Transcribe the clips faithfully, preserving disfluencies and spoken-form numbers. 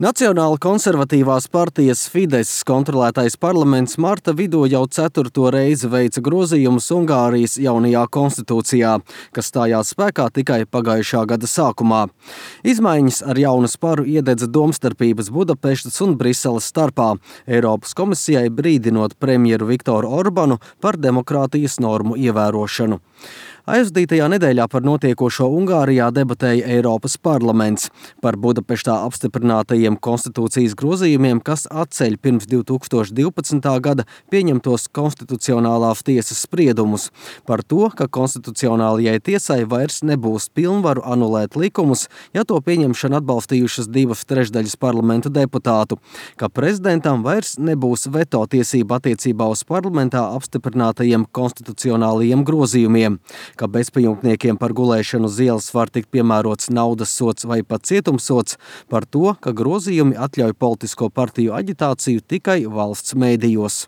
Nacionāla konservatīvās partijas Fidesz kontrolētais parlaments marta vidū jau ceturto reizi veica grozījumus Ungārijas jaunajā konstitūcijā, kas stājās spēkā tikai pagājušā gada sākumā. Izmaiņas ar jaunu sparu iededza domstarpības Budapeštas un Briseles starpā, Eiropas komisijai brīdinot premjeru Viktoru Orbanu par demokrātijas normu ievērošanu. Aizvadītajā nedēļā par notiekošo Ungārijā debatēja Eiropas parlaments par Budapeštā apstiprinātajiem konstitūcijas grozījumiem, kas atceļ pirms divi tūkstoši divpadsmitā gada pieņemtos konstitucionālās tiesas spriedumus par to, ka konstitucionālajai tiesai vairs nebūs pilnvaru anulēt likumus, ja to pieņemšanu atbalstījušas divas trešdaļas parlamenta deputātu, ka prezidentam vairs nebūs veto tiesība attiecībā uz parlamentā apstiprinātajiem konstitucionālajiem grozījumiem, ka bezpajumtniekiem par gulēšanu uz ielas var tikt piemērots naudas sods vai pat cietumsods, par to, ka grozījumi atļauj politisko partiju aģitāciju tikai valsts mēdījos.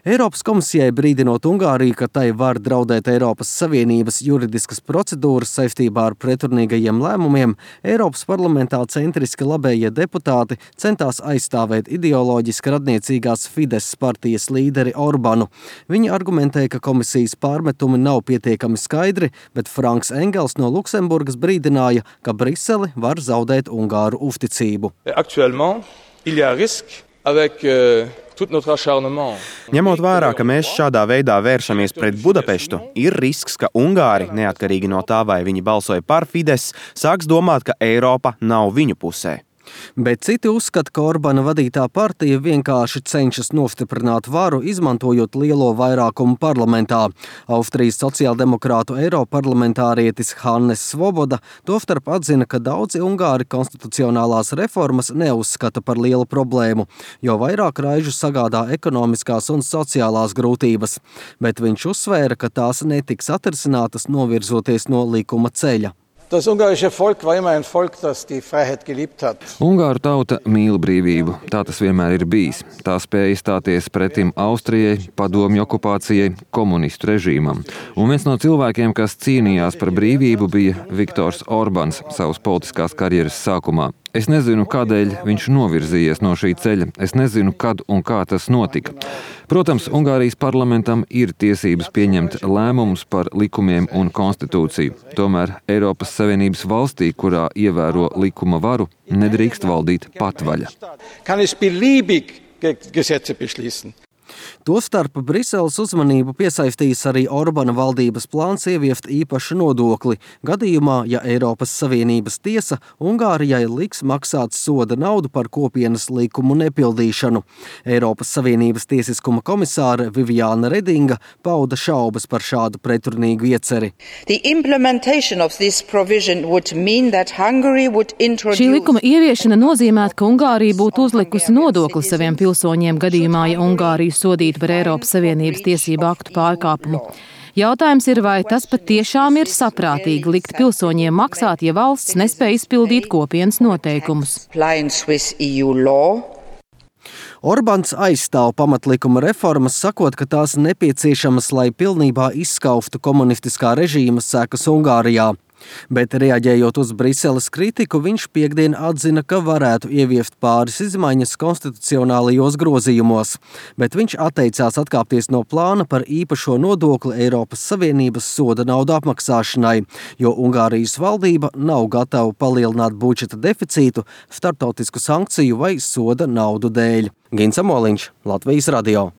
Eiropas komisijai brīdinot Ungāriju, ka tai var draudēt Eiropas Savienības juridiskas procedūras saistībā ar pretrunīgajiem lēmumiem, Eiropas parlamentā centriski labējie deputāti centās aizstāvēt ideoloģiski radniecīgās Fidesz partijas līderi Orbanu. Viņi argumentēja, ka komisijas pārmetumi nav pietiekami skaidri, bet Franks Engels no Luksemburgas brīdināja, ka Briseli var zaudēt Ungāru uzticību. Actuellement, il y a risque avec euh... Ņemot vērā, ka mēs šādā veidā vēršamies pret Budapeštu, ir risks, ka Ungāri, neatkarīgi no tā, vai viņi balsoja par Fidesz, sāks domāt, ka Eiropa nav viņu pusē. Bet citi uzskata, ka Orbana vadītā partija vienkārši cenšas nostiprināt varu, izmantojot lielo vairākumu parlamentā. Austrijas sociāldemokrātu eiroparlamentārietis Hannes Svoboda tostarp atzina, ka daudzi Ungāri konstitucionālās reformas neuzskata par lielu problēmu, jo vairāk raižu sagādā ekonomiskās un sociālās grūtības. Bet viņš uzsvēra, ka tās netiks atrisinātas novirzoties no likuma ceļa. Das ungarische Volk war immer ein Volk, das die Freiheit geliebt hat. Ungāru tauta mīl brīvību. Tā tas vienmēr ir bijis. Tā spēja stāties pretim Austrijai, padomju okupācijai, komunistu režīmam. Un viens no cilvēkiem, kas cīnījās par brīvību, bija Viktors Orbans savas politiskās karjeras sākumā. Es nezinu, kādēļ viņš novirzījies no šī ceļa. Es nezinu, kad un kā tas notika. Protams, Ungārijas parlamentam ir tiesības pieņemt lēmumus par likumiem un konstitūciju. Tomēr Eiropas Savienības valstī, kurā ievēro likuma varu, nedrīkst valdīt patvaļa. Kann es beliebig Gesetze beschließen. Tostarp Briseles uzmanību piesaistījis arī Orbana valdības plāns ieviest īpašu nodokli, gadījumā, ja Eiropas Savienības tiesa Ungārijai liks maksāt soda naudu par kopienas likumu nepildīšanu. Eiropas Savienības tiesiskuma komisāre Viviāna Redinga pauda šaubas par šādu pretrunīgu ieceri. Šī likuma ieviešana nozīmētu, ka Ungārija būtu uzlikusi nodokli saviem pilsoņiem gadījumā, ja Ungāriju sodītu par Eiropas Savienības tiesību aktu pārkāpumu. Jautājums ir, vai tas patiešām ir saprātīgi likt pilsoņiem maksāt, ja valsts nespēj izpildīt kopienas noteikumus. Orbans aizstāv pamatlikuma reformas, sakot, ka tās nepieciešamas, lai pilnībā izskauftu komunistiskā režīma sekas Ungārijā. Bet reaģējot uz Briseles kritiku, viņš piektdien atzina, ka varētu ieviest pāris izmaiņas konstitucionālajos grozījumos, bet viņš atteicās atkāpties no plāna par īpašo nodokli Eiropas Savienības soda naudu apmaksāšanai, jo Ungārijas valdība nav gatava palielināt budžeta deficītu starptautisku sankciju vai soda naudu dēļ. Gins Amoliņš, Latvijas radio.